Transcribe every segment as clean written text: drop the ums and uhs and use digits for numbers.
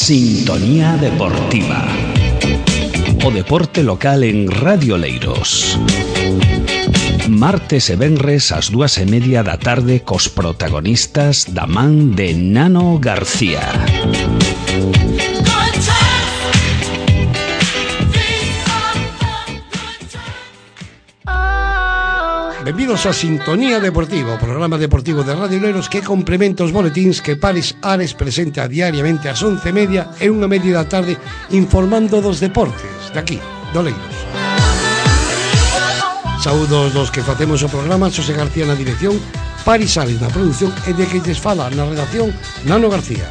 Sintonía Deportiva. O deporte local en Radio Oleiros. Martes e venres ás 2:30 da tarde cos protagonistas da man de Nano García. Benvidos a Sintonía Deportiva, o programa deportivo de Radio Oleiros que complementa os boletíns que Paris Ares presenta diariamente ás 11:30 e 1:30 da tarde informando dos deportes de aquí, de Oleiros. Saúdos dos que facemos o programa, Xosé García na dirección, Paris Ares na produción e de que lles fala na redacción Nano García.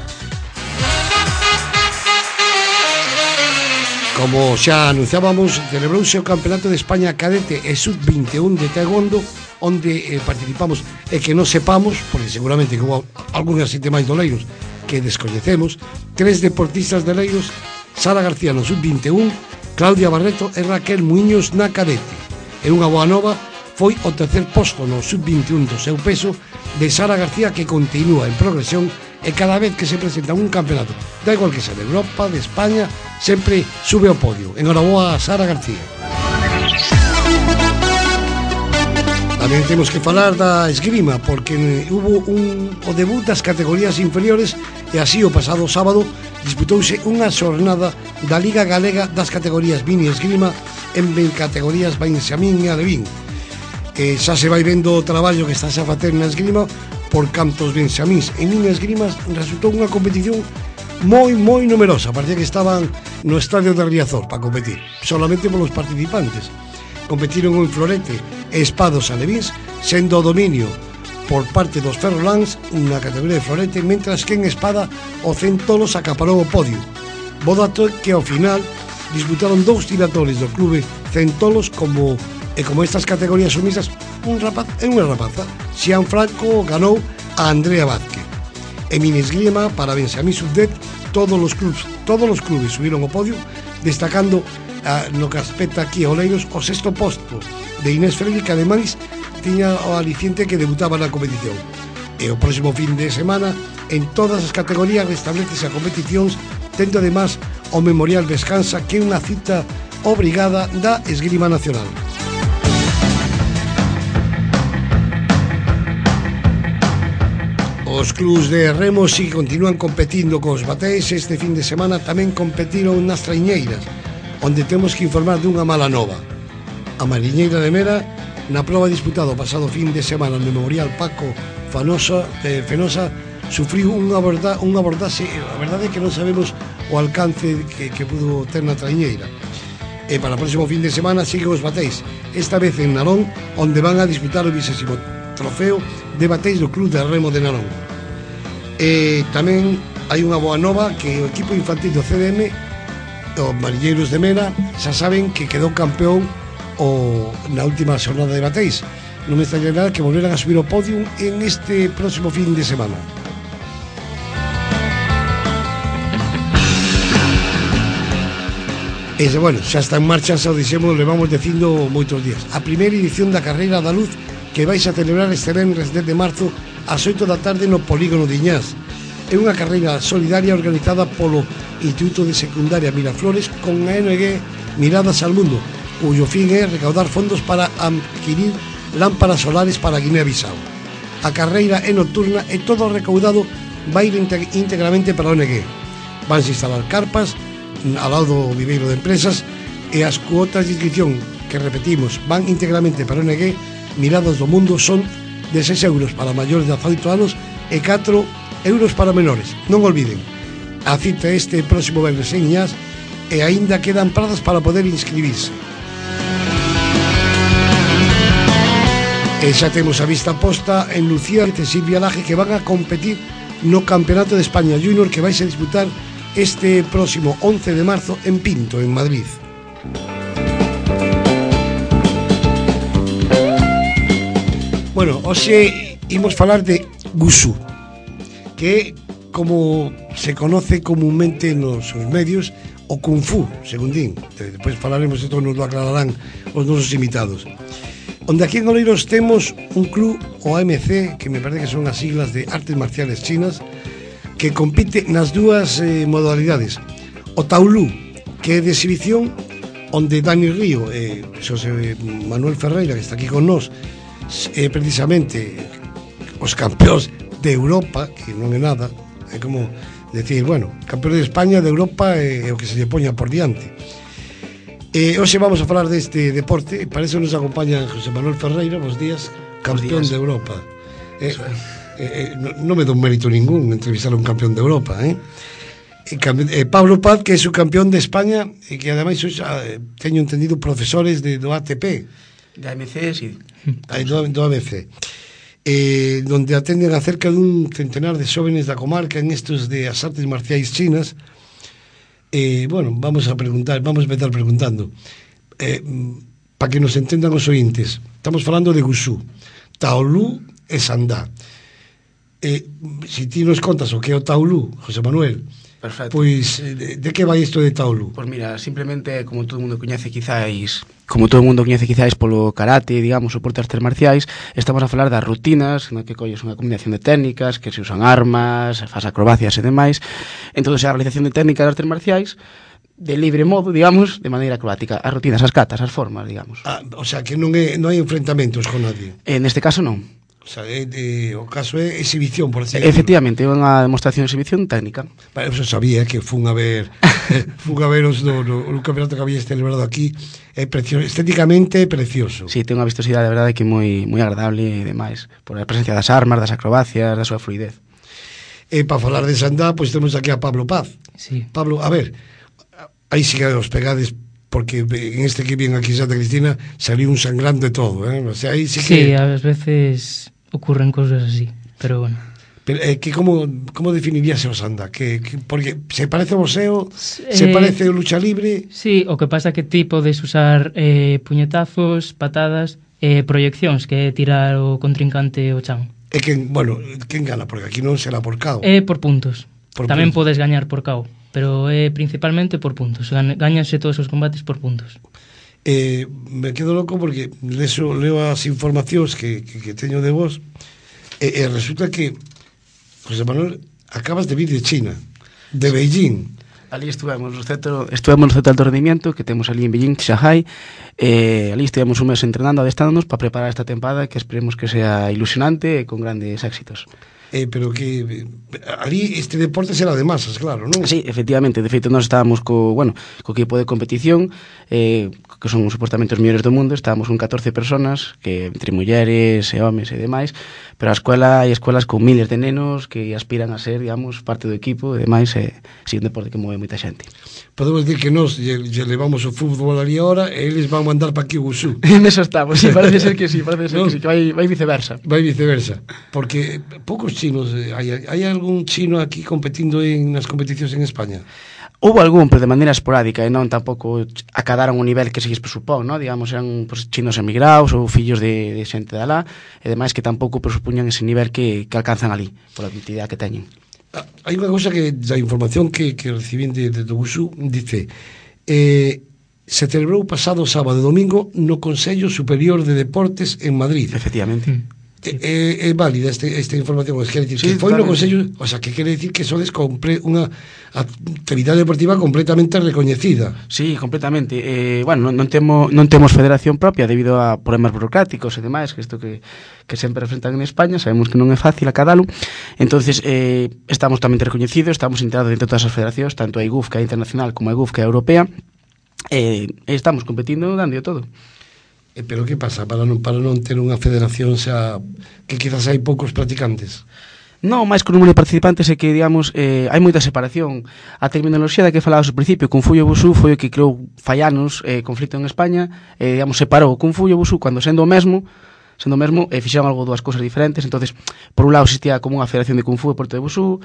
Como xa anunciábamos, celebrouse o Campeonato de España Cadete e Sub-21 de Taekwondo, onde participamos e que non sepamos, porque seguramente que houve algunhas xente máis de Oleiros que descoñecemos, 3 deportistas de Oleiros, Sara García no Sub-21, Claudia Barreto e Raquel Muiños na Cadete. E unha boa nova foi o tercer posto no Sub-21 do seu peso de Sara García, que continúa en progresión e cada vez que se presenta un campeonato, da igual que sea de Europa, de España, sempre sube ao podio. Enhoraboa a Sara García. Tamén temos que falar da esgrima, porque hubo o debut das categorías inferiores e así o pasado sábado disputouse unha xornada da Liga Galega das categorías mini esgrima en categorías Benxamín e Alevín. Xa se vai vendo o traballo que está a facer na esgrima por cantos benxamíns e mini esgrimas. Resultou unha competición moi numerosa. Parecía que estaban no estadio de Riazor para competir, solamente polos participantes. Competiron en florete e espados alevíns, sendo o dominio por parte dos ferroláns na categoría de florete, mentras que en espada o Centolos acaparou o podio. Bo dato que ao final disputaron 2 tiradores do clube Centolos, como estas categorías son misas, un rapaz e unha rapaza. Xian Franco ganou a Andrea Vázquez. En mini esgrima para Benxamín Sub-10 todos os clubes subiron ao podio, destacando no que aspecta aquí a Oleiros o 6º posto de Inés Félix, que ademais tiña o aliciente que debutaba na competición. E o próximo fin de semana en todas as categorías restablecese a competicións, tendo ademais o Memorial Descansa, que é unha cita obrigada da esgrima nacional. Os clubs de remo si continúan competindo cos bateis. Este fin de semana tamén competiron nas traiñeiras, onde temos que informar dunha mala nova. A Mariñeira de Mera, na proba disputada o pasado fin de semana no Memorial Paco Fenosa, sufriu unha abordaxe. A verdade é que non sabemos o alcance que pudo ter na traiñeira. E para o próximo fin de semana siguen os bateis, esta vez en Narón, onde van a disputar o 20º trofeo de bateis do Club de Remo de Narón. E tamén hai unha boa nova, que o equipo infantil do CDM, os Mariñeiros de Mera, xa saben que quedou campeón na última xornada de bateis. Non me extraña nada que volveran a subir ao podium en este próximo fin de semana. E, bueno, xa está en marcha, xa o dixemos, levamos dicindo moitos días. A primeira edición da Carreira da Luz, que vais a celebrar este venres 10 de marzo ás 8 da tarde no Polígono de Iñás. É unha carreira solidaria organizada polo Instituto de Secundaria Miraflores con a ONG Miradas al Mundo, cuyo fin é recaudar fondos para adquirir lámparas solares para Guinea-Bissau. A carreira é nocturna e todo o recaudado vai ir íntegramente para a ONG. Vanse instalar carpas ao lado do viveiro de empresas e as cuotas de inscripción, que repetimos, van íntegramente para a ONG Miradas do Mundo, son de 6 euros para maiores de 18 anos e 4 euros para menores. Non olviden, a cita este próximo venres en Iñás e aínda quedan prazas para poder inscribirse. E xa temos a vista posta en Lucía e Silvia Laje, que van a competir no Campeonato de España Junior, que vai a disputar este próximo 11 de marzo en Pinto, en Madrid. Bueno, hoxe imos falar de Wushu, que como se conoce comúnmente nos medios, o Kung Fu, según din. Depois falaremos, isto nos lo aclararán os nosos invitados. Onde aquí en Oleiros temos un club, o AMC, que me parece que son as siglas de Artes Marciales Chinas, que compite nas dúas modalidades. O taulú, que é de exhibición, onde Dani Río e Xosé Manuel Ferreira, que está aquí con nós, precisamente os campeóns de Europa, que non é nada, é como decir, bueno, campeón de España, de Europa, é o que se lle poña por diante. Hoxe vamos a falar deste deporte, para eso nos acompaña José Manuel Ferreira, bos días, campeón de Europa. Non me dou mérito ningún entrevistar a un campeón de Europa, Pablo Paz, que é o campeón de España e que ademais teño entendido profesores do ATP, da AMC, sí, do AMC, donde atenden a cerca dun centenar de xóvenes da comarca en estos de as artes marciais chinas. Bueno, vamos a empezar preguntando para que nos entendan os ointes. Estamos falando de Wushu, Taolú e Sandá. Se ti nos contas o que é o Taolú, José Manuel, perfecto. Pois, de que vai isto de Taolú? Pois mira, simplemente como todo o mundo coñece quizáis polo karate, digamos, o porte artes marciais, estamos a falar das rutinas, no que colles unha combinación de técnicas, que se usan armas, faz acrobacias e demais. Entón, a realización de técnicas de artes marciais de libre modo, digamos, de maneira acrobática. As rutinas, as catas, as formas, digamos. O sea, que non hai enfrentamentos con nadie. Neste caso non. O sea, o caso é exhibición, por decir. Efectivamente, é unha demostración de exhibición técnica. Vale, eu sabía que fun a ver os no campeonato que había celebrado aquí. É precioso, estéticamente precioso. Sí, ten unha vistosidade, de verdade, que moi agradable e demais, por a presencia das armas, das acrobacias, da súa fluidez. E para falar de Sandá, pois temos aquí a Pablo Paz. Sí. Pablo, a ver, aí sí que os pegades, porque en este que viene aquí en Santa Cristina saliu un sangrante todo, O sea, aí sí que... Sí, ás veces ocurren cousas así, pero bueno. Pero, que como definirías o Sandá? Porque se parece ao boxeo, se parece ao lucha libre... Sí, o que pasa que ti podes usar puñetazos, patadas, proyeccións, que é tirar o contrincante ao chan. E quen gana? Porque aquí non será por KO. É por puntos. Tamén podes gañar por KO, pero é principalmente por puntos. Gañanse todos os combates por puntos. Me quedo loco porque leo as informacións que teño de vos e resulta que, José Manuel, acabas de vir de China, de Beijing. Ali estuvemos no centro de alto rendimiento que temos ali en Beijing, Shanghai. Ali estivemos un mes entrenando, adestrándonos para preparar esta tempada que esperemos que sea ilusionante e con grandes éxitos. Pero que ali este deporte será de masas, claro, non? Sí, efectivamente, de feito nós estábamos co equipo de competición, que son supuestamente os mellores do mundo. Estábamos con 14 personas, que entre mulleres e homes e demais, pero a escuela hai escuelas con miles de nenos que aspiran a ser, digamos, parte do equipo e demais, sí, un deporte que move moita xente. Podemos dir que nós lle levamos o fútbol ali ahora e eles van mandar para aquí o Wushu. En eso estamos, sí, parece ser que sí, que vai viceversa. Vai viceversa, porque poucos chinos, hai algún chino aquí competindo nas competicións en España? Houve algún, pero de maneira esporádica, e non tampouco acadaron un nivel que se lles presupón, ¿no? Digamos, eran chinos emigrados ou fillos de xente de alá, e demais que tampouco presupuñan ese nivel que alcanzan ali, pola actividade que teñen. Hai unha cousa que da información que recibín de Wushu, dice se celebrou pasado sábado e domingo no Consello Superior de Deportes en Madrid. Efectivamente. É válida esta información, quere dicir sí, que foi no Consello, o sea, que quere dicir que sodes unha actividade deportiva completamente recoñecida. Sí, completamente. Bueno, non temos federación propia debido a problemas burocráticos e demais, que isto que sempre enfrentan en España, sabemos que non é fácil acadalo. Entonces, estamos tamén recoñecidos, estamos integrados dentro de todas as federacións, tanto a IGUF, que é internacional, como a IGUF, que é europea, e estamos competindo dando todo. Pero que pasa para non ter unha federación que quizás hai poucos practicantes? Non, máis que o número de participantes é que, digamos, hai moita separación. A terminoloxía da que falabas ao principio, Kung Fu e o Wushu, foi o que creou fai anos conflito en España, digamos, separou o Kung Fu e o Wushu cando sendo o mesmo, fixeron algo dúas cousas diferentes. Entonces, por un lado existía como unha federación de Kung Fu e porto de Wushu,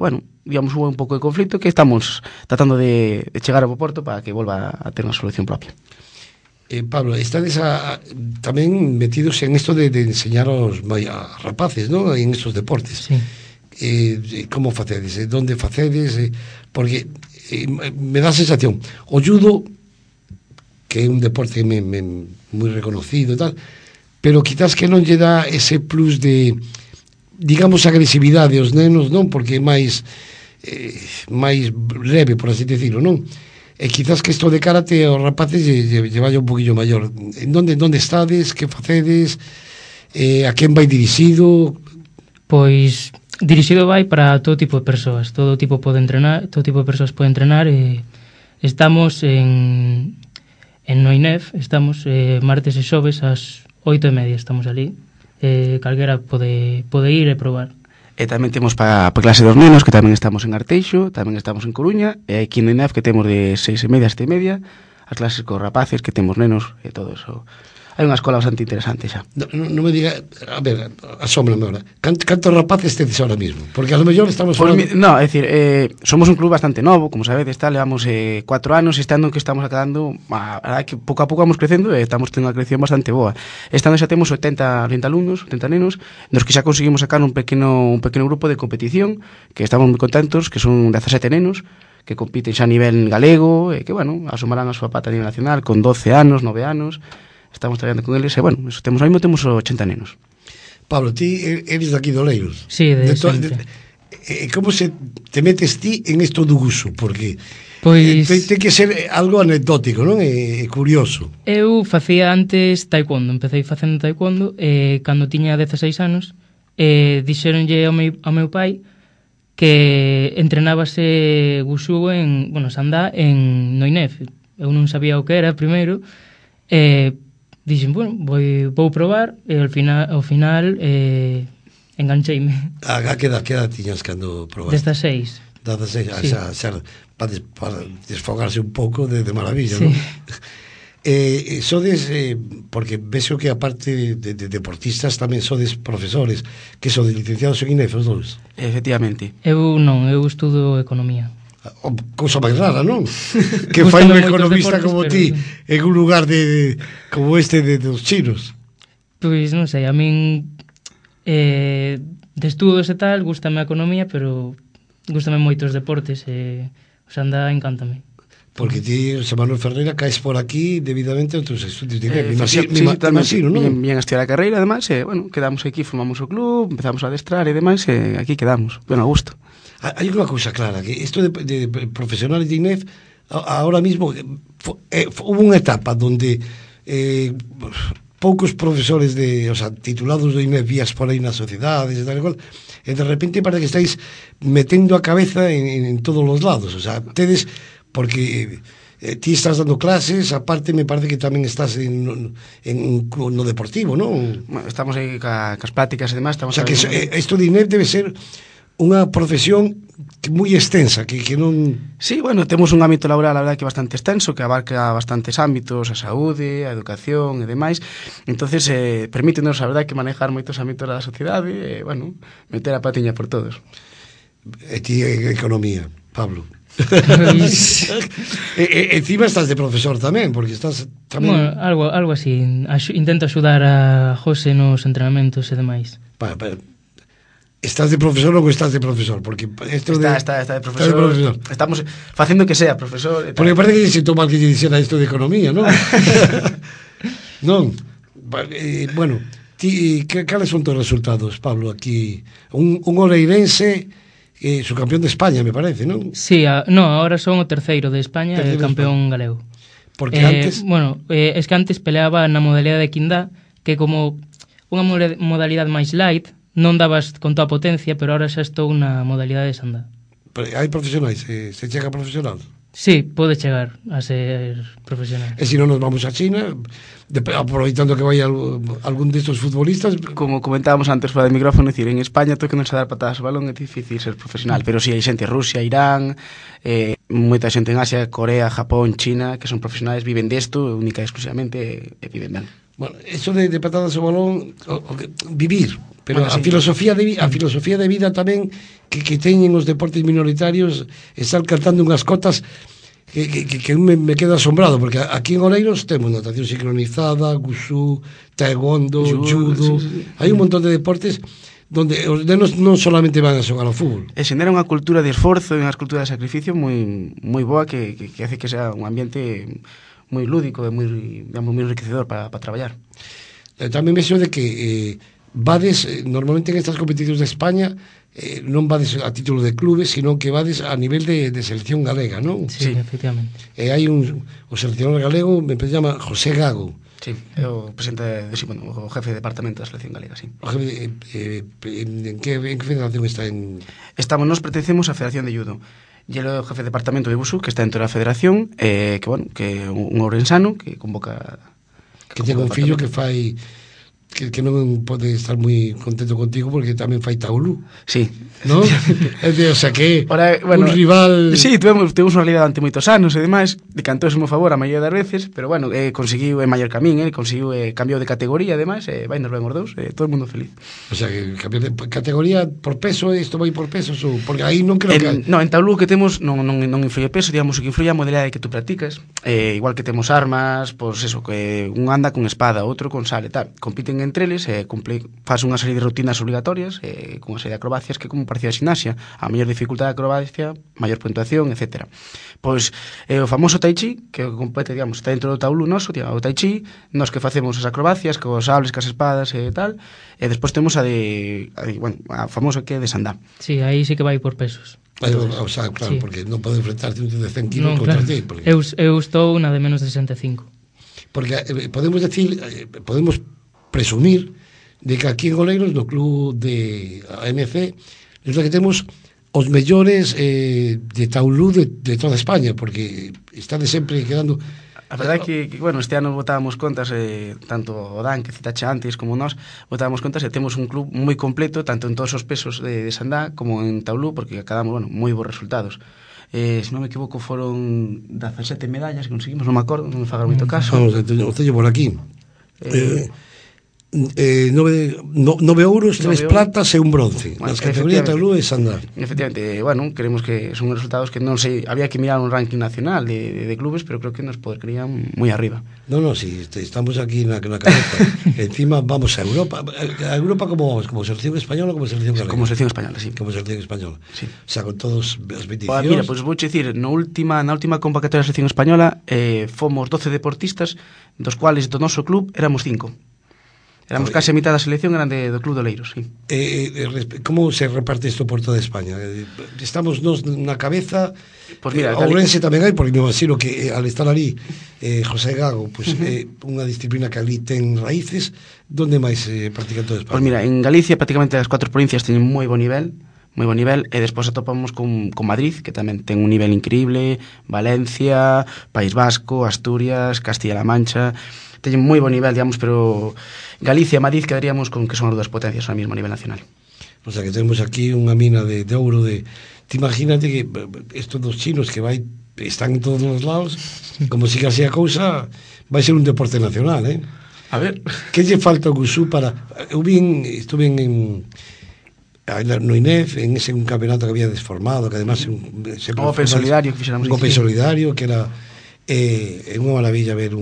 bueno, digamos, hubo un pouco de conflito que estamos tratando de chegar ao porto para que volva a ter unha solución propia. Pablo, estades tamén metidos en isto de enseñar aos rapaces, ¿no? En estos deportes. Sí. Como facedes? Donde facedes? Porque me dá a sensación, o judo, que é un deporte moi reconocido e tal, pero quizás que non lle dá ese plus de digamos, agresividade aos nenos, non? Porque é máis leve, por así decirlo, non? E quizás que isto de karate aos rapaces lle vaya un poquillo maior. En donde estades, que facedes, a quen vai dirixido? Pois dirixido vai para todo tipo de persoas, todo tipo de persoas pode entrenar, e estamos en Noinef, estamos martes e xoves ás 8:30, estamos ali, calquera pode ir e probar. E tamén temos para clase dos nenos, que tamén estamos en Arteixo, tamén estamos en Coruña, e aquí en Noinef que temos de 6:30 a 7:30, as clases cos rapaces, que temos nenos e todo eso. Hai unha escola bastante interesante xa. Non me diga, a ver, asómbrame ahora. Cantos rapaces tedes ahora mismo? Porque a lo mellor estamos falando... No, é dicir, somos un club bastante novo, como sabedes, levamos 4 anos, e este ano que estamos acabando, a verdade que pouco a pouco vamos crecendo e estamos tendo unha creación bastante boa. Este ano xa temos 80 alumnos, 80 nenos, nos que xa conseguimos sacar un pequeno grupo de competición, que estamos moi contentos, que son 17 nenos, que compiten xa a nivel galego, e que, bueno, asomarán a súa pata a nivel nacional, con 12 anos, 9 anos... Estamos traballando con eles e, bueno, eso temos 80 nenos. Pablo, ti eres daqui de Oleiros. Sí, de sempre. Como se te metes ti en isto do Wushu? Porque pois ten que ser algo anecdótico, non? É curioso. Eu facía antes taekwondo, empecé facendo taekwondo, e cando tiña 16 anos, dixeronlle ao meu pai que entrenábase Wushu Sandá en Noinef. Eu non sabía o que era primeiro, dixen, bueno, vou probar, e ao final engancheime. A que edad tiñas cando probaste? Destas 6. Destas 6, sí. Xa para desfogarse un pouco de maravilla, sí. Non? Sodes, porque vexo que aparte de deportistas tamén sodes profesores, que sodes licenciados en INEF, os dous? Efectivamente. Eu estudo economía. Cousa máis rara, non? Que fai un economista como ti en un lugar como este dos chinos. Pois non sei, a min de estudos e tal, gústame a economía, pero gústame moito os deportes, e o Sandá encántame. Porque ti, José Manuel Ferreira, caes por aquí debidamente a outros estudios de INEF. Imagino, non? Bien a estudiar a carreira, ademais, bueno, quedamos aquí, formamos o club, empezamos a adestrar e demais, e aquí quedamos, bueno, a gusto. Hai unha cousa clara, que isto de profesionales de INEF, ahora mismo hubo unha etapa donde poucos profesores titulados de INEF vías por aí nas sociedades e tal e cual, e de repente parece que estáis metendo a cabeza en todos os lados, tedes, porque ti estás dando clases, aparte me parece que tamén estás no deportivo, non? Estamos aí cas prácticas e demais, estamos que isto de INEF debe ser unha profesión moi extensa, que non... Sí, bueno, temos un ámbito laboral, a verdade, que bastante extenso, que abarca bastantes ámbitos, a saúde, a educación e demais. Entonces, permítenos, a verdade, que manejar moitos ámbitos da sociedade e, bueno, meter a patiña por todos. E ti, economía, Pablo. Encima estás de profesor tamén, porque estás tamén... Bueno, algo así. Intento axudar a José nos entrenamentos e demais. Estás de profesor ou estás de profesor? Porque está de profesor. Estamos facendo que sea profesor. Porque parece que se toma que lle dixera isto de economía, non? Non. Bueno, cales son tus resultados, Pablo, aquí? Un oleirense, subcampeón de España, me parece, non? Sí, ahora son o terceiro de España e campeón galego. Porque antes... es que antes peleaba na modalidade de Quindá, que como unha modalidade máis light, non dabas con toda a potencia, pero ahora xa estou na modalidade de Sandá. Hai profesionais? Se chega profesional? Sí, pode chegar a ser profesional. E se non nos vamos a China, aproveitando que vai algún destos futbolistas... Como comentábamos antes fora de micrófono, decir, en España todo que non se dar patadas ao balón é difícil ser profesional, pero si hai xente en Rusia, Irán, moita xente en Asia, Corea, Japón, China, que son profesionais, viven desto, única e exclusivamente, e viven ben. Bueno, eso de patadas ao balón, vivir, pero a filosofía de vida tamén que teñen os deportes minoritarios, estar cantando unhas cotas que me quedo asombrado, porque aquí en Oleiros temos natación sincronizada, Wushu, taekwondo, judo, hai un montón de deportes donde os nenos non solamente van a xogar ao fútbol. E xenera unha cultura de esforzo e unha cultura de sacrificio moi boa que hace que sea un ambiente moi lúdico e moi enriquecedor para traballar. Tamén vexo de que vades, normalmente en estas competicións de España, non vades a título de clubes, sino que vades a nivel de selección galega, non? Sí, efectivamente. E hai o seleccionador galego, me llama José Gago. Sí, é o presidente, o jefe de departamento da selección galega, sí. O jefe, en que federación está? Nos pertencemos á Federación de Judo. E ele é o jefe de departamento de Busú, que está dentro da federación, que é un ourensano que convoca... Que ten un fillo que fai... Que non pode estar moi contento contigo porque tamén fai taulú. Sí. ¿No? O sea que ora, bueno, un rival... Sí, tuvemos unha realidade ante moitos anos e demais, decantousemo a favor a maioría das veces, pero bueno, conseguiu maior camín, conseguiu cambiou de categoría e demais, vai nos ben os dous, todo o mundo feliz. O sea que cambiou de categoría por peso, isto vai por pesos, porque aí non creo que... No, en taulú que temos non influye peso, digamos, o que influye a modalidade que tú practicas, igual que temos armas, pois eso, que un anda con espada, outro con sal e tal, compiten entre eles, faz unha serie de rutinas obligatorias, con unha serie de acrobacias que como parecida a gimnasia, a maior dificultade de acrobacia, maior puntuación, etc. Pois o famoso tai chi, que compete, digamos, está dentro do taulú noso, o tai chi, nos que facemos as acrobacias, cos sables, cas espadas e tal, e despois temos a famosa que é de sandá. Sí, aí sí que vai por pesos. O sea, claro, sí. Porque non pode enfrentarte un de 100 kilos contra ti. Porque... Eu estou na de menos de 65. Porque podemos decir, podemos presumir de que aquí en Oleiros, no club de AMC, resulta que temos os mellores de taulú de toda España, porque está de sempre quedando... A verdade é que, bueno, este ano botábamos contas, tanto o Dan, que citache antes, como nós, botábamos contas e temos un club moi completo, tanto en todos os pesos de sandá como en taulú, porque acabamos, bueno, moi bons resultados. Se non me equivoco, foron 17 medallas que conseguimos, non me acordo, non me faga moito caso. Vamos, o teño por aquí. 9 ouros, 3 platas e un bronce, nas categorías taulú e sandá. Efectivamente, bueno, creemos que son resultados que non sei, había que mirar un ranking nacional de clubes, pero creo que nos poderían moi arriba. No, si estamos aquí na cabeza. Encima vamos a Europa. A Europa como vamos? Como selección española ou como selección galega? Como selección española, sí. Como selección española. Sí. O sea, con todos as bendicións. Mira, pois vou dicir, na última convocatoria da selección española fomos 12 deportistas, dos cuales do noso club éramos 5. Éramos case a mitad da selección, eran do Club de Oleiros, sí. Como se reparte isto por toda España? Estamos nos na cabeza, pues mira, Ourense tamén hai, porque me imagino que al estar ali José Gago, pues, unha disciplina que ali ten raíces, donde máis se practica en toda España? Pues mira, en Galicia prácticamente as 4 provincias teñen moi bon nivel, e despois atopamos con Madrid, que tamén ten un nivel increíble, Valencia, País Vasco, Asturias, Castilla-La Mancha, teñen moi bon nivel, digamos, pero Galicia e Madrid quedaríamos con que son as dúas potencias ao mesmo a nivel nacional. O sea, que temos aquí unha mina de ouro de... Te imagínate que estos dos chinos que están en todos os lados, como siga así a cousa, vai ser un deporte nacional, eh? A ver... Que lle falta o Gusú para... Estuve no INEF, en ese un campeonato que había desformado, que además... O Open Solidario que fixéramos. Un Open Solidario, que era... unha maravilla ver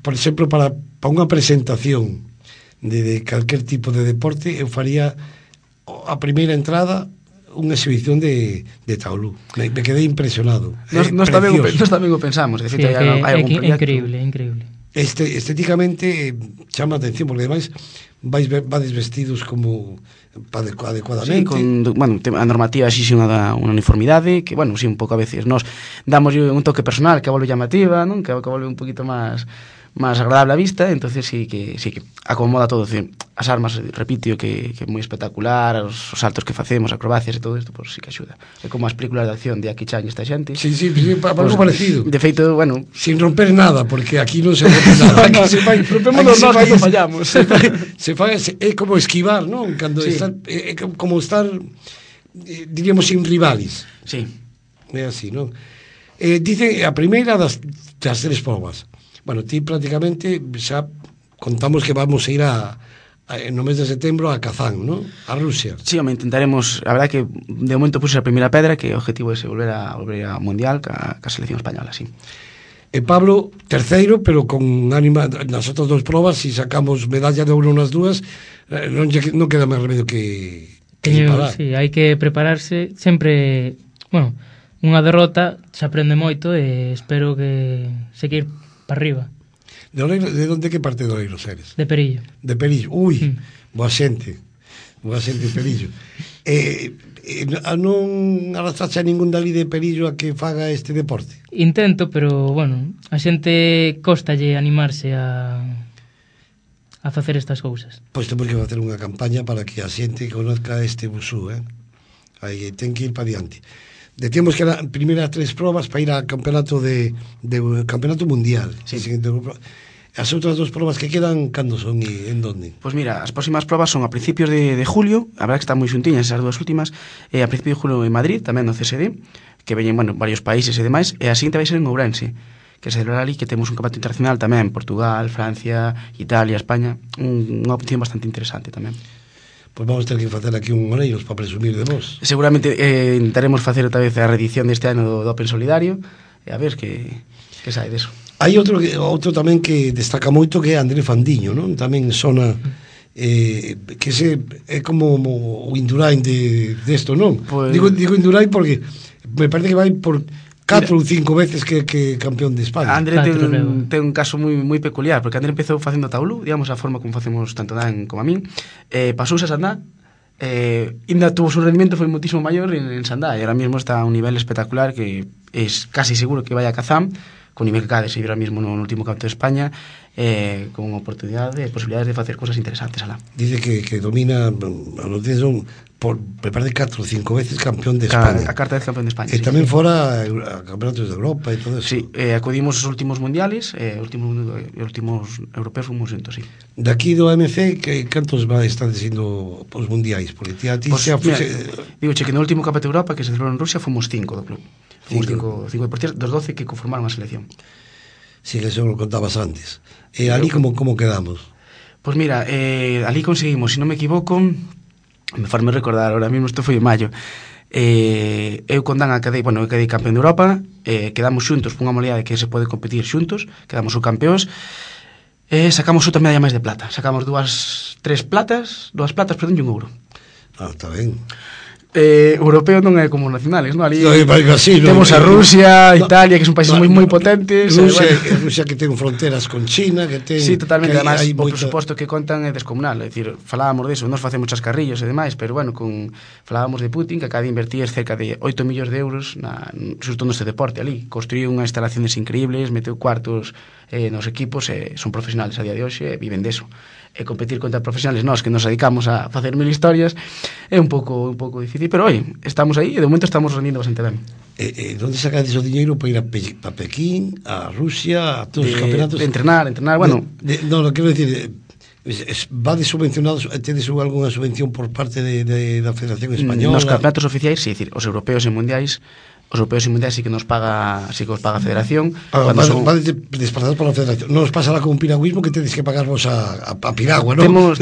por exemplo, para unha presentación de calquer tipo de deporte, eu faría a primeira entrada unha exhibición de taulú. Me quedei impresionado. Nos tamén o pensamos, de feito, hai algún proxecto. Increíble. Estéticamente chama a atención, porque ademais vades vestidos como adecuadamente. Sí, a normativa exixe unha uniformidade que, bueno, sí, un pouco a veces nos damos un toque personal que volve llamativa, non? Que volve un poquito máis agradable a vista, entonces sí que acomoda todo. As armas, repito, que é moi espectacular, os saltos que facemos, acrobacias e todo isto, pois sí que axuda. É como as películas de acción de Jackie Chan e esta xente. Sí, algo parecido. De feito, bueno... Sin romper nada, porque aquí non se rompe nada. Rompemos os nós cando fallamos. É como esquivar, non? Cando é como estar, diríamos, sin rivales. Sí. É así, non? Dice a primeira das 3 probas. Bueno, ti prácticamente xa contamos que vamos a ir no mes de setembro a Kazán, ¿no? A Rusia. Sí, intentaremos, a verdad que de momento puse a primeira pedra, que o objetivo é volver a Mundial ca selección española, sí. Pablo, terceiro, pero con ánima nas outras 2 probas, si sacamos medalla de ouro nas dúas, non queda máis remedio que parar. Sí, hai que prepararse sempre, bueno, unha derrota se aprende moito e espero que seguir para arriba. De onde, que parte de Oleiros eres? De Perillo. De Perillo, boa xente Pelillo. Non arrastraste a ningún dali de Pelillo a que faga este deporte? Intento, pero, bueno, a xente costalle animarse a facer estas cousas. Pois temos que facer unha campaña para que a xente conozca este Wushu, Aí ten que ir para diante. Decíamos que eran primeiras 3 probas para ir ao campeonato campeonato mundial. Sí. As outras 2 probas que quedan, cando son e en donde? Pois mira, as próximas probas son a principios de julio, a verdad que están moi xuntiñas esas 2 últimas, a principios de julio en Madrid, tamén no CSD, que veñen, bueno, varios países e demais, e a seguinte vai ser en Ourense, que se celebra ali, que temos un campeonato internacional tamén, Portugal, Francia, Italia, España, unha opción bastante interesante tamén. Pois vamos ter que facer aquí un Oleiros para presumir de vos. Seguramente intentaremos facer outra vez a reedición deste ano do Open Solidario, e a ver que sai deso. Hai outro tamén que destaca moito, que é André Fandiño, non? Tamén sona que é como o Indurain desto, non? Pues... Digo Indurain porque me parece que vai por 4 ou 5 veces que campeón de España. André ten un caso moi peculiar, porque André empezou facendo taulú, digamos, a forma como facemos tanto Dan como a min, pasouse a Sandá, ainda tuvo su rendimiento, foi muitísimo maior en Sandá, e ahora mismo está a un nivel espectacular que es casi seguro que vai a Kazán, con nivel que acaba de seguir ahora mismo no último campeonato de España, con oportunidade e posibilidades de facer cosas interesantes alá. Dice que domina, me parece 4 ou 5 veces campeón de España. A carta de campeón de España. E tamén fora a campeonatos de Europa e todo eso. Sí, acudimos os últimos mundiales, os últimos europeos fomos xuntos, sí. Daqui do AMC, cantos están sendo os mundiais? Porque ti digo que no último campeonato de Europa que se celebrou en Rusia fomos 5 do club. Fomos 5 deportistas, dos 12 que conformaron a selección. Sí, que eso lo contabas antes. E ali como quedamos? Pois mira, ali conseguimos, se non me equivoco, me farme recordar, ahora mismo isto foi en maio, eu con Dan quedei campeón de Europa, quedamos xuntos por unha modalidade que se pode competir xuntos, quedamos subcampeóns, sacamos outra medalla máis de plata, sacamos dúas platas, perdón, e un ouro. Está ben. Europeo non é como nacionales, non? Ali así, temos a Rusia, Italia, que son países moi potentes. Rusia que ten fronteras con China, que ten... Sí, totalmente, además, o presuposto que contan é descomunal, é dicir, falábamos deso, nos facemos chascarrillos e demais, pero bueno, falábamos de Putin, que acaba de invertir cerca de 8 millóns de euros xusto neste deporte ali, construiu unhas instalaciones increíbles, meteu cuartos nos equipos, son profesionales a día de hoxe, viven deso. E competir contra profesionales nós que nos dedicamos a facer 1000 historias é un pouco difícil, pero oi, estamos aí e de momento estamos rendindo bastante ben. Onde sacades o diñeiro para ir a Pekín, a Rusia, a todos os campeonatos? Entrenar, bueno... No, quero dicir, vades subvencionados, tedes algunha subvención por parte da Federación Española? Nos campeonatos oficiais, sí, os europeos e mundiais, sí que nos paga, sí que os paga a Federación. Vades desplazados pola Federación. Non nos pasa lá con un piragüismo que tedes que pagar vos a piragua, non? Temos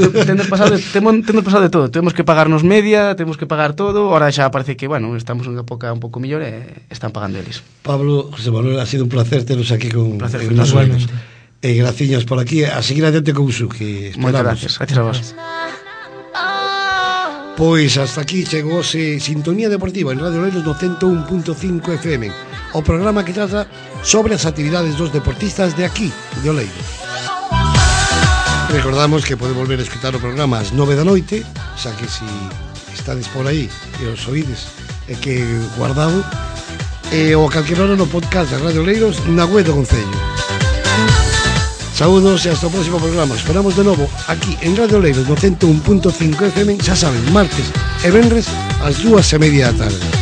pasado de todo. Temos que pagarnos media, temos que pagar todo. Ahora xa parece que, bueno, estamos en unha época un pouco mellor e están pagando eles. Pablo, José Manuel, ha sido un placer teros aquí con nosotros. Graciñas por aquí. A seguir adiante con Wushu, que esperamos. Moitas gracias a vos. Pois hasta aquí chegóse Sintonía Deportiva en Radio Oleiros no 101.5 FM, o programa que trata sobre as actividades dos deportistas de aquí, de Oleiros. Recordamos que pode volver a escutar o programa ás 9 da noite, xa que si estades por aí e os oídes é que guardado, ou a calquera hora no podcast de Radio Oleiros na web do Concello. Saúdos e hasta o próximo programa. Esperamos de novo aquí en Radio Oleiros no 101.5 FM, xa saben, martes e venres ás 2:30 da tarde.